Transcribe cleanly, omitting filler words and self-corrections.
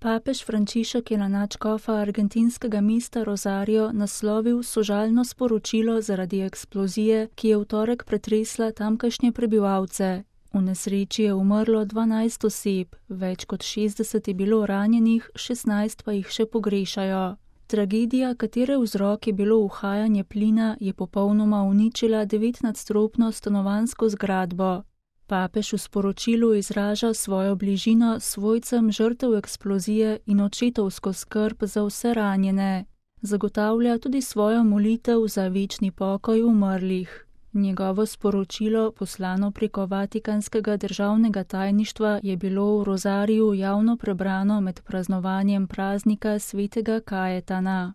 Papež Frančišek je na nadškofa argentinskega mesta Rosario naslovil sožalno sporočilo zaradi eksplozije, ki je v torek pretresla tamkajšnje prebivalce. V nesreči je umrlo 12 oseb, več kot 60 je bilo ranjenih, 16 pa jih še pogrešajo. Tragedija, katere vzrok je bilo uhajanje plina, je popolnoma uničila 9-nadstropno stanovanjsko zgradbo. Papež v sporočilu izraža svojo bližino svojcem žrtev eksplozije in očetovsko skrb za vse ranjene. Zagotavlja tudi svojo molitev za večni pokoj umrlih. Njegovo sporočilo, poslano preko Vatikanskega državnega tajništva, je bilo v Rosariju javno prebrano med praznovanjem praznika svetega Kajetana.